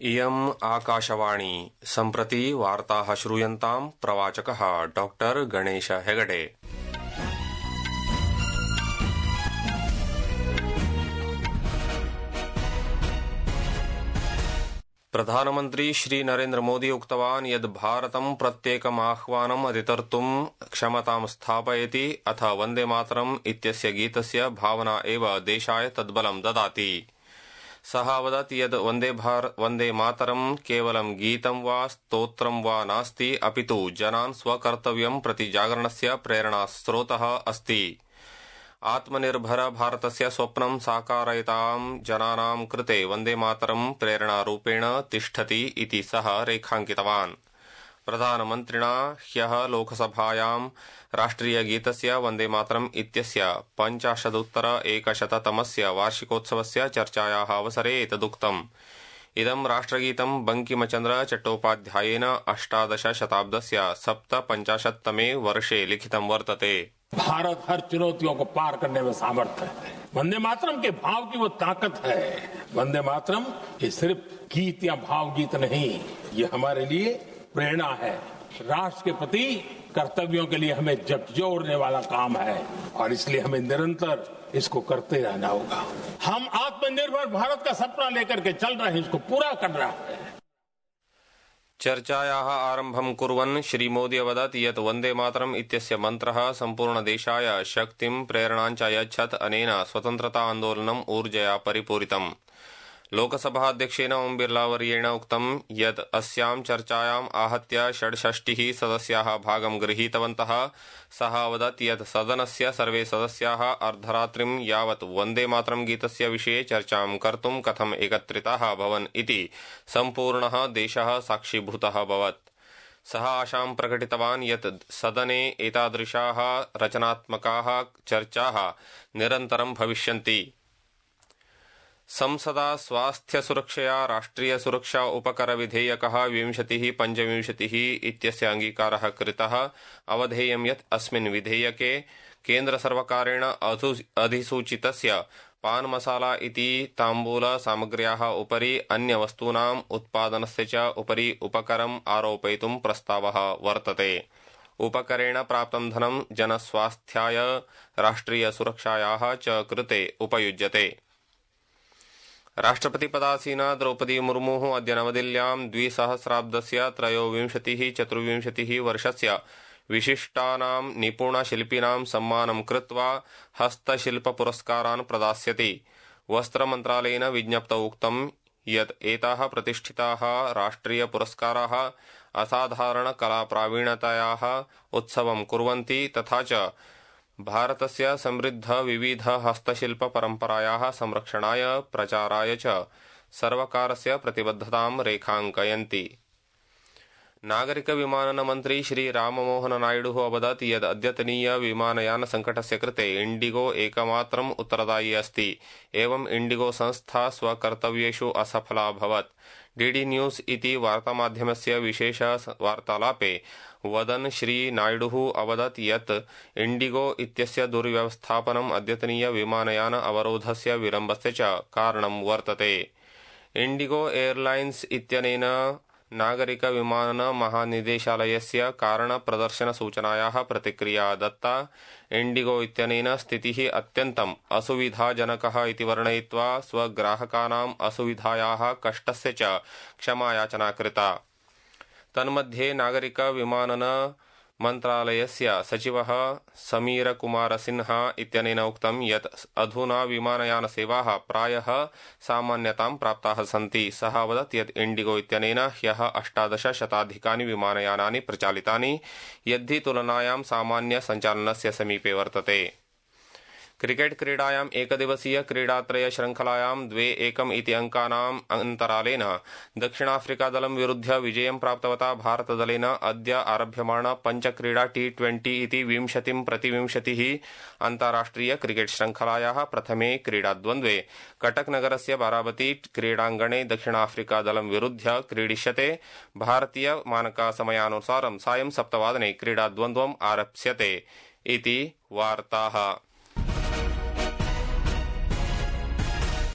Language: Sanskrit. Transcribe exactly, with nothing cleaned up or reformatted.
इयम् आकाशवाणी सम्प्रति वार्ताः श्रूयन्ताम् प्रवाचकः डॉक्टर गणेश हेगडे। प्रधानमन्त्री श्री नरेन्द्र मोदी उक्तवान् यत् भारतं प्रत्येकम् आह्वानम् अधितर्तुम् क्षमतां स्थापयति अथ वन्दे मातरम् इत्यस्य गीतस्य भावना एव देशाय तद्बलं ददाति। सः अवदत् यत् वन्दे भार वन्दे मातरम् केवलं गीतं वा स्तोत्रं वा नास्ति, अपितु जनान् स्वकर्तव्यं प्रति जागरणस्य प्रेरणास्रोतः अस्ति। आत्मनिर्भर भारतस्य स्वप्नं साकारयितां जनानां कृते वन्दे मातरम् प्रेरणारूपेण तिष्ठति इति सः रेखाङ्कितवान्। प्रधानमन्त्रिणा ह्यः लोकसभायां राष्ट्रियगीतस्य वन्दे मातरम् इत्यस्य पञ्चाशदुत्तर एकशततमस्य वार्षिकोत्सवस्य चर्चायाः अवसरे एतदुक्तम्। इदं राष्ट्रगीतं बंकिमचन्द्र चट्टोपाध्यायेन अष्टादश शताब्दस्य सप्तपञ्चाशत्तमे वर्षे लिखितं वर्तते। भारत हर चुनौतियों को पार करने में सामर्थ है। वंदे मातरम के भाव की वो ताकत है। वंदे मातरम ये सिर्फ गीत या भाव गीत नहीं, ये हमारे लिए प्रेरणा है। राष्ट्र के प्रति कर्तव्यों के लिए हमें झकझोरने वाला काम है और इसलिए हमें निरंतर इसको करते रहना होगा। हम आत्मनिर्भर भारत का सपना लेकर के चल रहे हैं, इसको पूरा कर रहा है। चर्चायाः आरम्भं कुर्वन् श्री मोदी अवदत् यत् वन्दे मातरम् इत्यस्य मन्त्रः सम्पूर्णदेशाय शक्तिं प्रेरणाञ्च अयच्छत्। अनेन स्वतन्त्रता आन्दोलनम् ऊर्जया परिपूरितम्। लोकसभाध्यक्षेण ओम बिर्लावर्येण उक्तं यत् अस्यां चर्चायाम् आहत्य षड्षष्टिः सदस्याः भागं गृहीतवन्तः। सः अवदत् यत् सदनस्य सर्वे सदस्याः अर्धरात्रिं यावत् वन्दे मातरम् गीतस्य विषये चर्चां कर्तुं कथम् एकत्रिताः अभवन् इति सम्पूर्णः देशः साक्षीभूतः अभवत्। सः आशां प्रकटितवान् यत् सदने एतादृशाः रचनात्मकाः चर्चाः निरन्तरं भविष्यन्ति। संसदा स्वास्थ्य सुरक्षया राष्ट्रिय सुरक्षा उपकर विधेयकः विंशतिः पञ्चविंशतिः इत्यस्य अङ्गीकारः कृतः। अवधेयं यत् अस्मिन् विधेयके केन्द्रसर्वकारेण अधिसूचितस्य पान मसाला इति ताम्बूल सामग्र्याः उपरि अन्यवस्तूनाम् उत्पादनस्य च उपरि उपकरम् आरोपयितुं प्रस्तावः वर्तते। उपकरेण प्राप्तं धनं जनस्वास्थ्याय राष्ट्रिय सुरक्षायाः च कृते उपयुज्यते। राष्ट्रपति पदासीना द्रौपदी मुर्मुः अद्य नवदिल्ल्यां द्विसहस्राब्दस्य त्रयोविंशतिः चतुर्विंशतिः वर्षस्य विशिष्टानां निपुणशिल्पिनां सम्मानं कृत्वा हस्तशिल्पपुरस्कारान् प्रदास्यति। वस्त्रमन्त्रालयेन विज्ञप्तौ उक्तं यत् एताः प्रतिष्ठिताः राष्ट्रियपुरस्काराः असाधारणकलाप्रावीण्यतायाः उत्सवं कुर्वन्ति तथा च भारतस्य समृद्ध विविध हस्तशिल्प परम्परायाः संरक्षणाय प्रचाराय च सर्वकारस्य प्रतिबद्धतां रेखाङ्कयन्ति। नागरिक विमानन मन्त्री श्री राममोहन नायडुः अवदत् यत् अद्यतनीय विमानयान संकटस्य कृते इंडिगो एकमात्रम् उत्तरदायी अस्ति। एवं इंडिगो संस्था स्वकर्तव्येषु असफला अभवत्। डीडी न्यूज इति वार्तामाध्यमस्य विशेष वार्तालापे वदन् श्री नायडुः अवदत् यत् इंडिगो इत्यस्य दुर्व्यवस्थापनम् अद्यतनीय विमानयान अवरोधस्य विलम्बस्य च कारणं वर्तते। इंडिगो एयरलाइन्स इत्यनेन नागरिक विमानन महानिदेशालयस्य कारण प्रदर्शन सूचनायाः प्रतिक्रिया दत्ता। इंडिगो इत्यनेन स्थितिः अत्यन्तम् असुविधाजनकः इति वर्णयित्वा स्वग्राहकानाम् असुविधायाः कष्टस्य च क्षमायाचना कृता। तन्मध्ये नागरिक विमानन मन्त्रालयस्य सचिवः समीर कुमार सिन्हा इत्यनेन उक्तं यत् अधुना विमानयानसेवाः प्रायः सामान्यतां प्राप्ताः सन्ति। सः अवदत् यत् इंडिगो इत्यनेन ह्यः अष्टादश शताधिकानि विमानयानानि प्रचालितानि, यद्धि तुलनायां सामान्य सञ्चालनस्य समीपे वर्तते। क्रिकेट क्रीडायाम् एकदिवसीय क्रीडात्रय श्रृंखलायां द्वे एकम् इति अंकानाम् अन्तरालेन दक्षिणाफ्रिकादलं विरुध्य विजयं प्राप्तवता भारतदलेन अद्य आरभ्यमाण पञ्चक्रीडा टी ट्वेंटी इति विंशतिं प्रतिविंशतिः अन्ताराष्ट्रिय क्रिकेट श्रृंखलायाः प्रथमे क्रीडाद्वन्द्वे कटकनगरस्य बाराबती क्रीडाङ्गणे दक्षिणाफ्रिकादलं विरुध्य क्रीडिष्यते। भारतीय मानकसमयानुसारं सायं सप्तवादने क्रीडाद्वन्द्वम् आरप्स्यते इति वार्ताः।